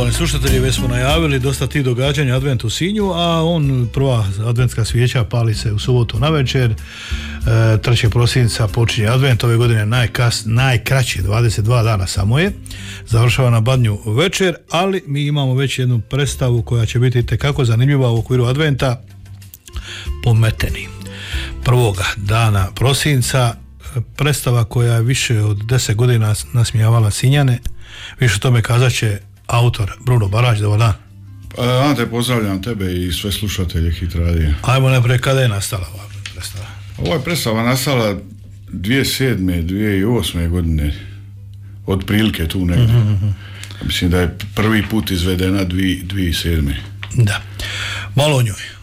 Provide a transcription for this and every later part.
Poštovani slušatelji, već smo najavili dosta tih događanja Advent u Sinju, a prva adventska svijeća pali se u subotu navečer. 3. prosinca počinje Advent, ove godine najkraće, 22 dana samo je. Završava na Badnju večer, ali mi imamo već jednu predstavu koja će biti itekako zanimljiva u okviru Adventa. Pometeni. 1. dana prosinca, predstava koja je više od 10 godina nasmijavala Sinjane. Više o tome kazat će autor Bruno Barać. Dobar dan. Ante, pozdravljam tebe i sve slušatelje Hit radija. Ajmo najprije, kada je nastala ova predstava? Ova je predstava nastala 2007. 2008. godine, otprilike tu negdje. Mislim da je prvi put izvedena 2007. Da. Malo o njoj.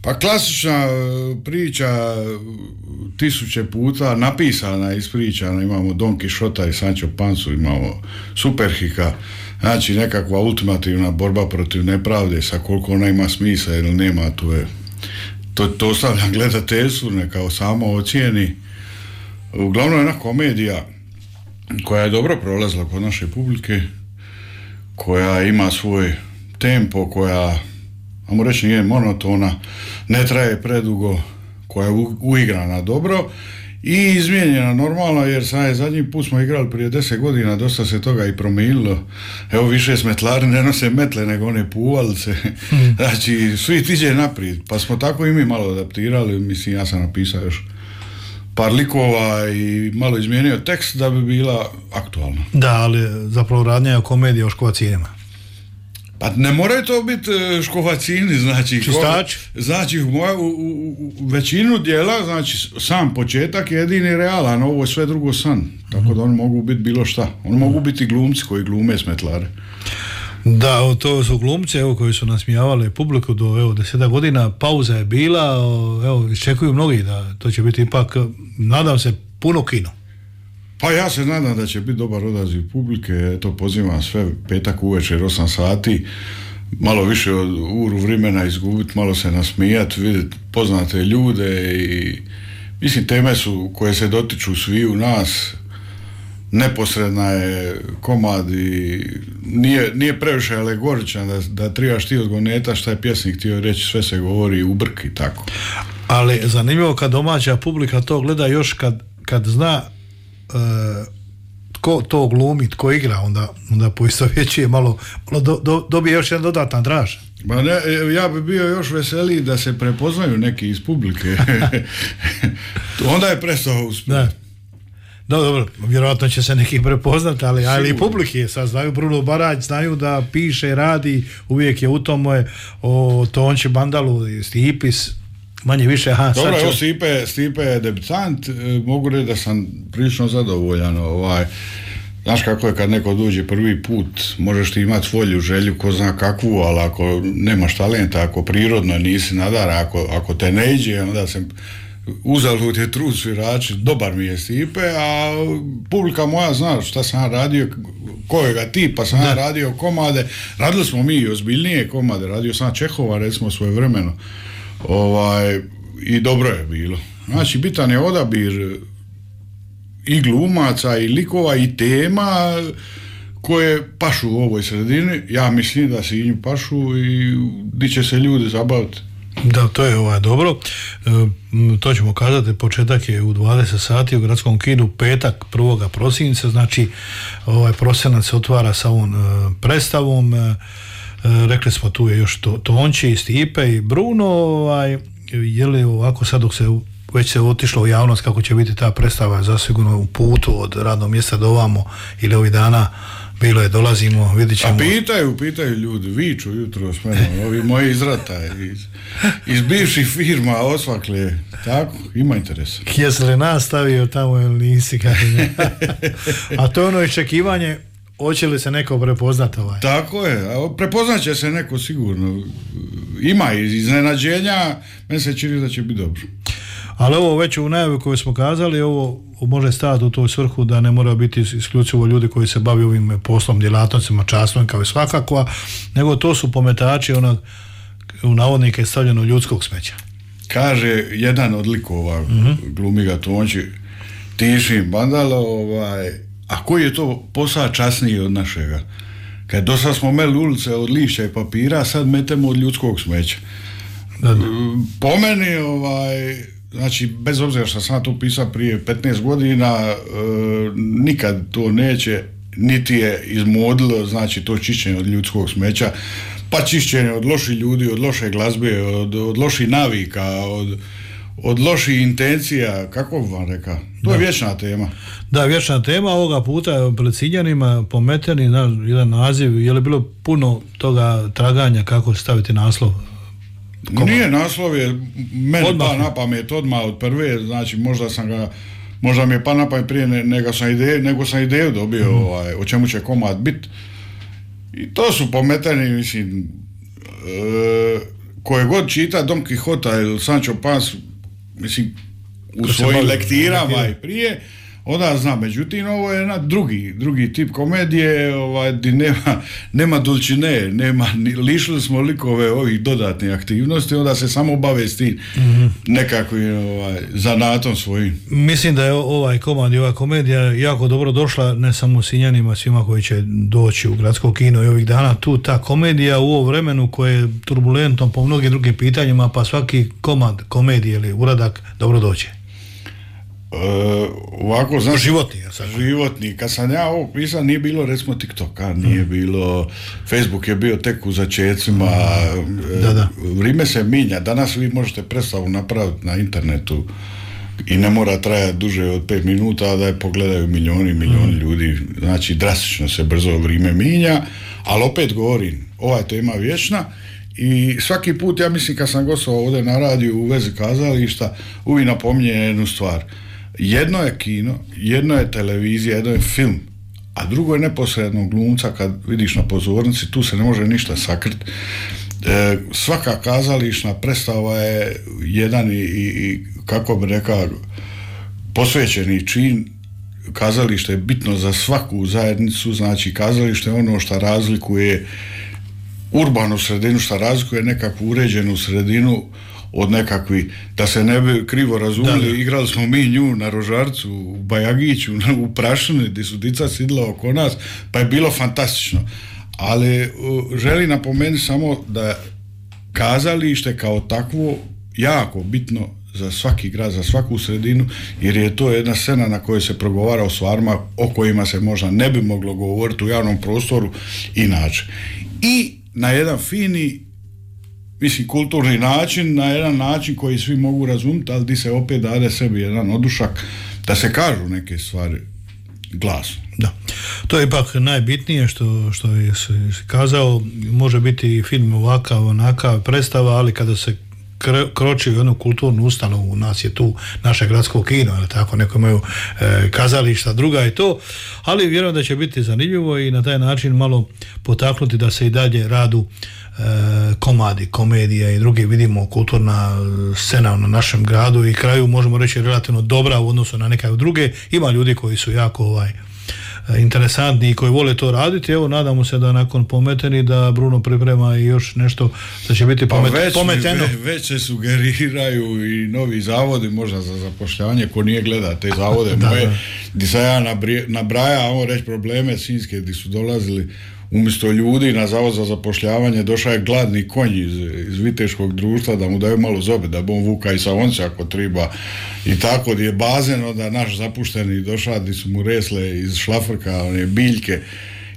Pa klasična priča, tisuće puta napisana, ispričana. Imamo Don Kišota i Sancho Pansu, imamo Superhika, znači nekakva ultimativna borba protiv nepravde, sa koliko ona ima smisla ili nema, to ostavljam gledateljstvu, neka samo ocijeni. Uglavnom je jedna komedija koja je dobro prolazila kod naše publike, koja ima svoj tempo, koja, ajmo reći, nije monotona, ne traje predugo, koja je uigrana dobro i izmijenjena normalno, jer zadnji put smo igrali prije 10 godina, dosta se toga i promijenilo. Evo, više smetlari ne nose metle nego one puvalice. Znači, svi tiđe naprijed, pa smo tako i mi malo adaptirali. Mislim, ja sam napisao još par likova i malo izmijenio tekst da bi bila aktualna. Da, ali zapravo radnja je o komediji o škovacijima. Pa ne moraju to biti škovacini, znači čistač. Znači u većinu dijela, znači sam početak je jedini realan, ovo je sve drugo san, tako da oni mogu biti bilo šta, oni mogu biti glumci koji glume smetlare. Da, to su glumci koji su nasmijavali publiku do 10 godina, pauza je bila, iščekuju mnogi da to će biti ipak, nadam se, puno kino. Pa ja se nadam da će biti dobar odaziv publike, to pozivam sve, petak uvečer 8 sati, malo više od uru vremena izgubiti, malo se nasmijati, vidjeti poznate ljude i mislim teme su koje se dotiču svi u nas, neposredna je komad i nije previše alegoričan da trebaš ti odgoneta šta je pjesnik htio reći, sve se govori u brk i tako. Ali zanimljivo kad domaća publika to gleda, još kad zna tko to glumi, tko igra, onda poistovjećuje malo dobije još jedan dodatan draž. Ma ne, ja bi bio još veseliji da se prepoznaju neki iz publike. Onda je prestao uspjeh. Dobro, vjerojatno će se neki prepoznati, ali i publike sad znaju Bruno Barać, znaju da piše, radi, uvijek je u tome o Tonči Bandalu, Stipis, manje više. Dobro, evo Stipe je debitant, mogu reći da sam prilično zadovoljan. Znaš kako je kad neko dođe prvi put, možeš ti imati volju, želju, ko zna kakvu, ali ako nemaš talenta, ako prirodno nisi nadara, ako te ne iđe, onda se uzalud je trud svirači, dobar mi je Stipe, a publika moja zna šta sam ja radio, kojega tipa sam ja radio komade, radili smo mi i ozbiljnije komade, radio sam Čehova recimo svojevremeno. I dobro je bilo. Znači, bitan je odabir i glumaca, i likova, i tema koje pašu u ovoj sredini. Ja mislim da se njim pašu i di će se ljudi zabaviti. Da, to je dobro. To ćemo kazati, početak je u 20 sati u Gradskom kinu, petak 1. prosinca, znači prosinac se otvara sa ovom predstavom. Rekli smo tu je još Tonči, Stipe i Bruno, je li ovako sad dok se već se otišlo u javnost kako će biti ta predstava, zasigurno u putu od radnog mjesta do ovamo ili ovih dana bilo je, dolazimo, vidit ćemo. A pitaju ljudi, viču jutro s menom, ovi moji izrata iz bivših firma osvakle, tako, ima interes. Jesi li nas stavio tamo ili nisi? A to je ono iščekivanje, hoće li se neko prepoznati Tako je, prepoznat će se neko sigurno. Ima iznenađenja, meni se čini da će biti dobro. Ali ovo već u najavi koju smo kazali, ovo može staviti u toj svrhu da ne mora biti isključivo ljudi koji se bavi ovim poslom, djelatnostima, častom kao i svakako, nego to su pometači u navodnike stavljeno ljudskog smeća. Kaže jedan od likova, glumi ga Tonči, Tišin Bandalo, a koji je to posao časniji od našega? Kad do sad smo meli ulice od lišća i papira, sad metemo od ljudskog smeća. Po meni, znači, bez obzira što sam to pisao prije 15 godina, nikad to neće, niti je izmodilo, znači, to čišćenje od ljudskog smeća, pa čišćenje od loših ljudi, od loše glazbe, od loših navika, od loših intencija, kako bi vam rekao? To je vječna tema. Da, vječna tema. Ovoga puta pred Sinjanima pometeni jedan naziv. Je li bilo puno toga traganja kako staviti naslov? Nije, naslov je meni pa na pamet odmah od prve, znači možda mi je pa na pamet prije nego sam ideju dobio o čemu će komad biti. I to su pometeni, mislim, koje god čita Don Quixota ili Sancho Panza, mislim, u svojim lektirama i prije, onda zna. Međutim, ovo je jedan drugi tip komedije, gdje nema dulčine, lišili smo likove ovih dodatnih aktivnosti, onda se samo bave s tim nekakvim zanatom svojim. Mislim da je ovaj komad i ova komedija jako dobro došla, ne samo Sinjanima, svima koji će doći u gradsko kino i ovih dana. Tu ta komedija u ovom vremenu koje je turbulentno po mnogim drugim pitanjima, pa svaki komad komedije ili uradak dobro dođe. Ovako, znači, životni. Kad sam ja ovo pisao, nije bilo recimo TikToka, nije bilo, Facebook je bio tek u začecima, vrijeme se minja. Danas vi možete predstavu napraviti na internetu i ne mora trajati duže od 5 minuta, da je pogledaju milijoni ljudi. Znači, drastično se brzo vrijeme minja, ali opet govorim, ova je tema vječna. I svaki put, ja mislim, kad sam gostovao ovdje na radiju u vezi kazališta, uvijek napominje jednu stvar. Jedno je kino, jedno je televizija, jedno je film, a drugo je neposredno glumca kad vidiš na pozornici, tu se ne može ništa sakriti. Svaka kazališna predstava je jedan i kako bi rekao, posvećeni čin. Kazalište je bitno za svaku zajednicu, znači kazalište je ono što razlikuje urbanu sredinu, što razlikuje nekakvu uređenu sredinu od nekakvi, da se ne bi krivo razumili, igrali smo mi nju na Rožarcu, u Bajagiću, u Prašini, gdje su dica sidla oko nas, pa je bilo fantastično. Ali želim napomenuti samo da kazalište kao takvo jako bitno za svaki grad, za svaku sredinu, jer je to jedna scena na kojoj se progovara o stvarima o kojima se možda ne bi moglo govoriti u javnom prostoru inače. I na jedan fini, mislim, kulturni način, na jedan način koji svi mogu razumjeti, ali di se opet dade sebi jedan odušak da se kažu neke stvari glasno. Da. To je ipak najbitnije što je kazao, može biti film ovakav, onakav, predstava, ali kada se kroči u jednu kulturnu ustanovu, u nas je tu naše gradsko kino, ali tako, neko imaju kazališta, druga je to, ali vjerujem da će biti zanimljivo i na taj način malo potaknuti da se i dalje radu komadi, komedija i drugi, vidimo, kulturna scena na našem gradu i kraju, možemo reći, relativno dobra u odnosu na neke druge. Ima ljudi koji su jako interesantni i koji vole to raditi. Evo, nadamo se da nakon pometeni da Bruno priprema i još nešto da će biti pometeno. Već se sugeriraju i novi zavodi možda za zapošljavanje, ko nije gleda te zavode moje, gdje sam ja nabraja, ovo reći probleme sinjske, gdje su dolazili umjesto ljudi na zavod za zapošljavanje, došao je gladni konj iz viteškog društva da mu daju malo zobe, da bi on vuka i sa once ako treba. I tako gdje je bazen, onda naš zapušteni došao, gdje su mu resle iz šlafrka, one biljke.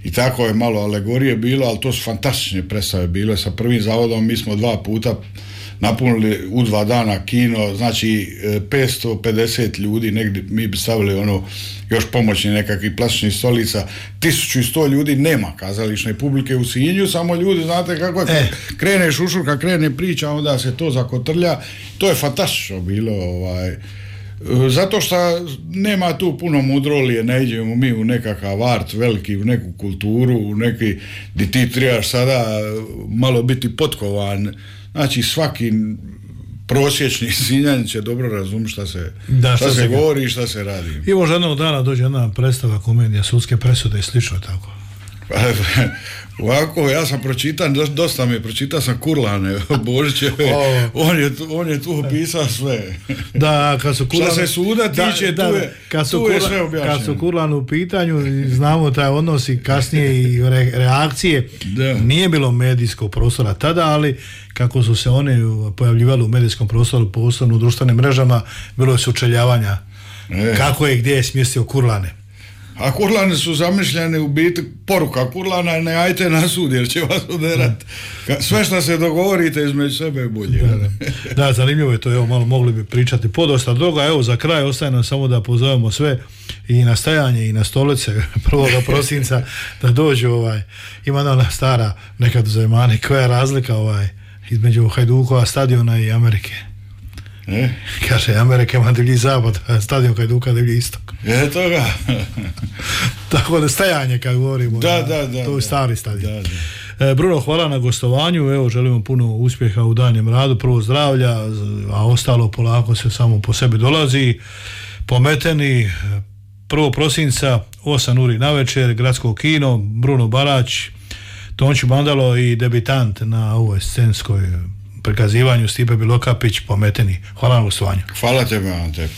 I tako je malo alegorije bilo, ali to su fantastične predstave bile. Sa prvim zavodom mi smo 2 puta napunili u 2 dana kino, znači 550 ljudi, negdje mi bi stavili još pomoćni nekakvih plastičnih stolica, 1100 ljudi, nema kazališne publike u Sinju, samo ljudi, znate kako je, krene šušurka, krene priča, onda se to zakotrlja, to je fantastično bilo, zato što nema tu puno mudrolije, ne idemo mi u nekakav art veliki, u neku kulturu, u neki, gdje ti trebaš sada malo biti potkovan. Znači, svaki prosječni Sinjanin će dobro razumjeti šta se govori i šta se radi. I možda jednog dana dođe jedna predstava, komedija, sudske presude i slično tako. Ovako, ja sam pročitan, dosta mi je, pročitao sam Kurlane Božićeve, on je tu opisao sve. Da, kad su Kurlan, šta se suda tiče, tu je sve objašnjeno. Kad su Kurlan u pitanju, znamo taj odnos i kasnije i reakcije, nije bilo medijskog prostora tada, ali kako su se one pojavljivali u medijskom prostoru, posebno u društvenim mrežama, bilo je sučeljavanja kako je, gdje je smjestio Kurlane. A Kurlane su zamišljene u biti, poruka Kurlana, ne ajte na sud jer će vas uderat. Sve što se dogovorite između sebe je bolje. Da, zanimljivo je to, evo malo mogli bi pričati podosta droga. Evo za kraj ostaje nam samo da pozovemo sve i na stajanje i na stolice 1. prosinca da dođu, ima ona stara nekad u Zemani, koja je razlika između Hajdukova stadiona i Amerike. Kaže, Amerika ima divlji zapad, stadion Hajduka divlji istok. Toga. Tako da stajanje kad govorimo, to je stari stadion. Bruno, hvala na gostovanju, evo želimo puno uspjeha u daljnjem radu, prvo zdravlja, a ostalo polako se samo po sebi dolazi. Pometeni 1. prosinca 8 uri navečer, Gradsko kino, Bruno Barać, Tonči Bandalo i debitant na ovoj scenskoj prikazivanju Stipe Bilokapić, Pometeni. Hvala na gostovanju. Hvala tebi, Ante.